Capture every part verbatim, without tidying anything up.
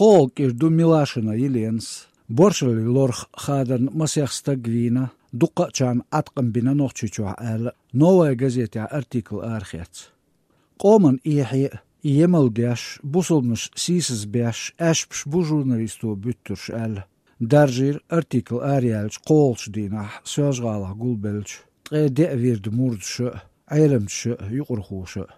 ПхоагӀа кӀира ду Милашина Еленас. Боршалли лорах хадарна масех стаг вийна, дуккхачарна Ӏаткъам бина Нохчийчохь аьлла, «Новая газетехь» артикл арахецна. Къоман эхье а, емал деш, бусалбанаш сийсаз беш, аьшпаш бу журналисто буьттурш аьлла, даржийра артикл араяьллачу кхоалгӀачу дийнахь Соьлжа-ГӀалахь гулбеллачу ткъе деа вирда мурдаша а, Ӏеламчаша а, юкъархоша а.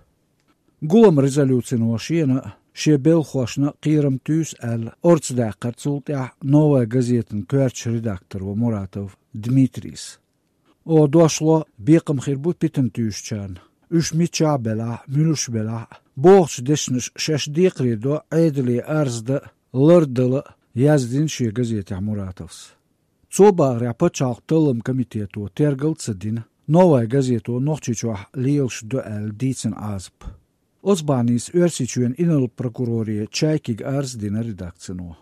Гулам резолюцино шена а, шен белхахошна а кхерам туьйсу аьлла, орца даьккхира цул тӀаьхьа «Новая газетан» коьртачу редакторо Муратов Дмитрийс. Оха дошло, бекхам хир бу питана туьйсучарна. Уьш мичахь а белахь, муьлш а белахь а, бохучу дешнаша шаьш декхаре до Ӏедале арз дан а, лардала а, яздина шен газетехь Муратовс. Цо бахарехь, пачхьалкхан талламан комитето тергал а ца дина, «Новая газето» Нохчийчохь лелаш ду аьлла дийцина Ӏазап. Оцу бахьаница Оьрсийчоьнан инарла прокуроре Чайкига арз а дина редакцино.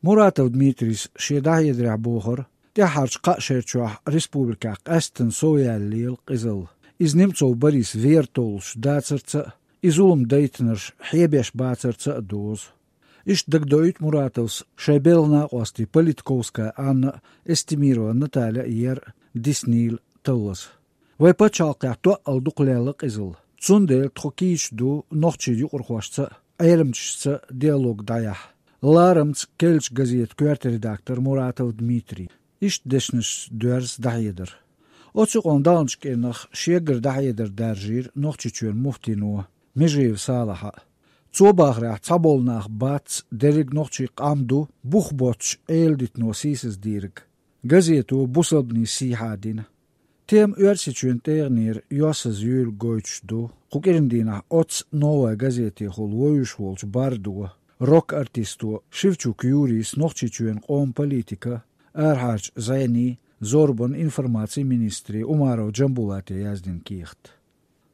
Муратов Дмитрийс шен дӀахьедарехь бохура, тӀаьххьарчу кхаа шерачохь республикехь къаьсттина совъяьлла лела къизалла. Иза Немцов Борис вер толлуш дацарца а, и зулам дайтинарш хьебеш бацарца а дозу. Иштта дагадоуьйту Муратовс шайн белхан накъостий Политковская Анна а, Эстемирова Наталья а ер а диснийла таллаза. Вайн пачхьалкхехь тоъал дукха лелла къизалла. Цундела тхо кийча ду нохчийн юкъархошца а, Ӏеламчашца а диалог дӀаяхьа. Ларамца керлачу газетан коьрта редактор Муратов Дмитрий. Иштта дешнашца доьрза дӀахьедар. Оцу юкъана даханчу кӀирнах шегара дӀахьедар даржийра Нохчийчоьнан муфтино Межиев Салахьа а. Цо бахарехь, цхьаболу нах бац дерриг нохчийн къам ду бух боцчу Ӏеладитано сийсаздийриг. Газето бусалбанийн сийхьа дина. Тема Оьрсийчоьнан тӀегӀанера йоссаза юьйлаг гойтуш ду кху кӀиран дийнахь оццу «Новая газетехула» вовзуш волчу бардо, рок-артисто Шевчук Юрийс Нохчийчоьнан къоман политикан, арахьарчу зӀенийн, зорбанан, информацин министре Умаров Джамбулате яздина кехат.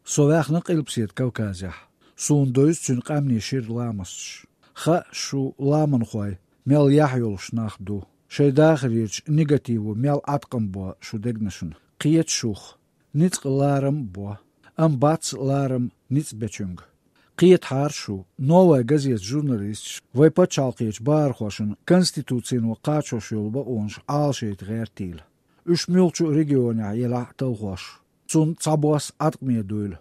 Со ваьхна Къилбаседа Кавказехь. Суна довза цуьнан къаьмнийн шира ламасташ. Хаьа шу, ламанхой, мел яхь йолуш нах ду. Шайн дахарерчу негативо мел Ӏаткъам бо шун дегнашна. Кхета шух. Ницкъ ларам а бо. Амма бац ларам ницкъ бечуьнга. Кхетахьара шу, «Новая газетан» журналисташ вайн пачхьалкхерчу бахархошна конституцино кхачош йолу бакъонаш Ӏалашайта гӀертийла. Уьш муьлххачу а регионехь елахь а талхош, цунна цхьабосса Ӏаткъаме дуйла.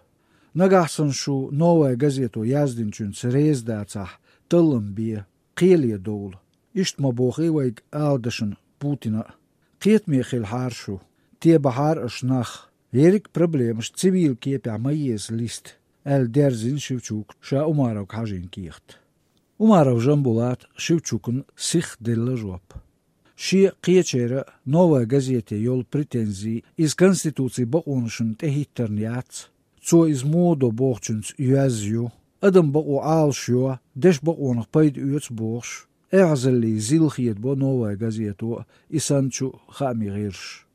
Нагахь санна шу «Новая газето» яздинчуьнца реза дацахь, таллам бе, кхеле довла. Иштта ма бохий вайга ала дашна Путина а. Кхетаме хилахьара шу, тебахьара аша нах. Ерриг а проблемаш цивил кепехь ма еза листа, аьлла дерзийна Шевчука ша Умаровга хьажийна кехат. Умаров Джамбулата Шевчукна сихха делла жоп. Шен а, кхечеран а «Новая газете» йолу претензи иза конституцин бакъонашна тӀехӀиттарна яц. Цо иза муха до бохучуьнца йоьзна ю. Адам бакъо Ӏалашйо, дешан бакъонах пайда оьцу бохуш, эхь-заллий зил хедабо «Новая газето» а, и санначу а хаамийн гӀирсаша.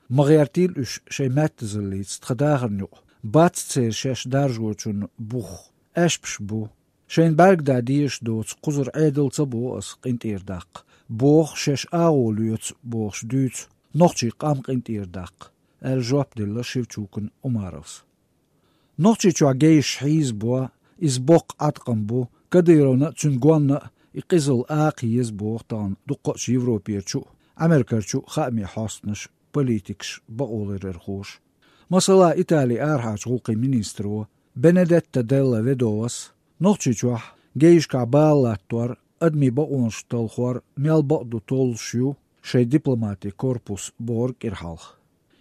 Ма гӀертийла уьш шайн маьттазаллица тхан дахарна юкъа. Бац церан шаьш даржочунна бух. Аьшпаш бу. Шайна бӀаьрга дан дезаш доцу кхузара Ӏедал ца боху аса къинтӀера даккха. Боху, шаьш агӀо лоьцу бохуш дуьйцу нохчийн къам къинтӀера даккха, аьлла жоп делла Шевчукна Умаровс. Нохчийчохь гейшаш хьийзабо, иза боккха Ӏаткъам бу, Кадыровна а, цуьнан гонна а и къизалла акха еза боху тахана дуккхачу Европерчу а, Америкерчу а хаамийн хьостанаша, политикаша, бакъоларъярхоша. Масала, Италин арахьарчу гӀуллакхийн министро Бенедетта Делла Ведовас Нохчийчохь гейшкахь бала латтор, адамийн бакъонаш талхор мел бакъ ду толлуш ю шайн дипломатин корпус бохура кӀира хьалха.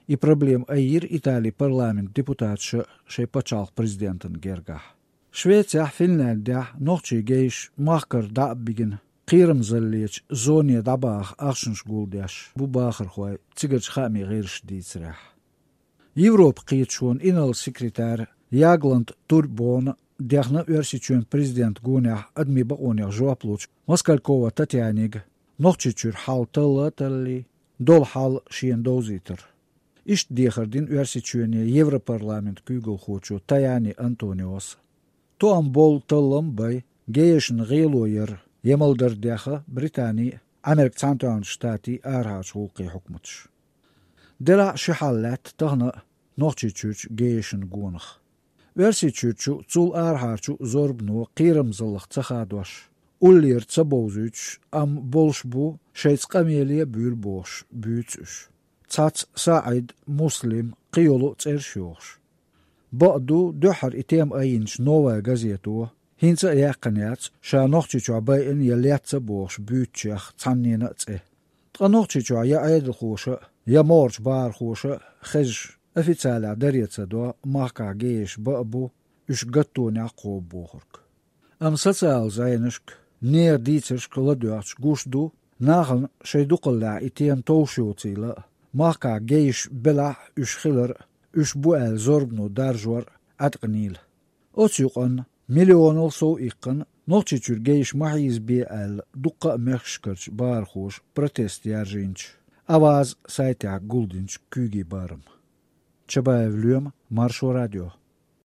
И проблема айира Италин парламентан депутаташа шайн пачхьалкхан президентана гергахь. Швецехь, Финляндехь нохчийн гейшаш махкара дӀа а бигина, кхерамзаллечу зоне дӀабаха ахчанаш гулдеш бу бахархой, цигарчу хаамийн гӀирсаша дийцарехь. Европан кхеташонан инарла секретарь Ягланд Турбона дехна Оьрсийчоьнан президентан гонехь адамийн бакъонех жоп лучу Москалькова Татьянега Нохчийчуьра хьал талла а таллий, долу хьал шена довзийтар. Иштта дехар дина Оьрсийчоьне Европарламентан куьйгалхочо Таяни Антониос. Тоам болу таллам а бай, гейшна гӀело яр емалдар а деха Британин а, Америкин Цхьаьнатоьхначу Штатийн а арахьарчу гӀуллакхийн хьукматаша. Делахь а ши хьал лаьтта тахана а Нохчийчуьрчу гейшан гонах. Оьрсийчуьрчу, цул арахьарчу зорбано кхерамзаллах ца хадош, уллера ца бовзуьйтуш, амма болуш бу, шайца къамеле а буьйлу бохуш, буьйцу уьш. Цхьацца СаӀид, Муслим, кхин йолу а цӀераш йохуш. Бакъду, дуьххьара и тема айинчу «Новая газето» хӀинца а яьккхина яц ша Нохчийчохь байина я лецна бохуш буьйцучех цхьаннена а цӀе. Ткъа Нохчийчохь я Ӏедалхоша а, я могӀарчу бахархоша а хезаш, официалехь даре ца до махкахь гейш бакъ бу, уьш гаттонехь кхобу бохург. Амма социалан зӀенашка, нехан дийцаршка ладоьгӀча гуш ду, нахана шайн дукхаллехь и тема товш йоцийла а, махкахь гейш белахь а уьш хилар а, уьш бу аьлла зорбано даржор а Ӏаткъанийла. Оцу юкъанна, миллионал сов иккхина, Нохчийчуьра гейш ма хьийзабе аьлла, дуккха а мехкашкарчу бахархоша протест яржийначу «Аваз» сайтехь гулдинчу куьйгийн барам. Чабаев Лоьма, Маршо радио.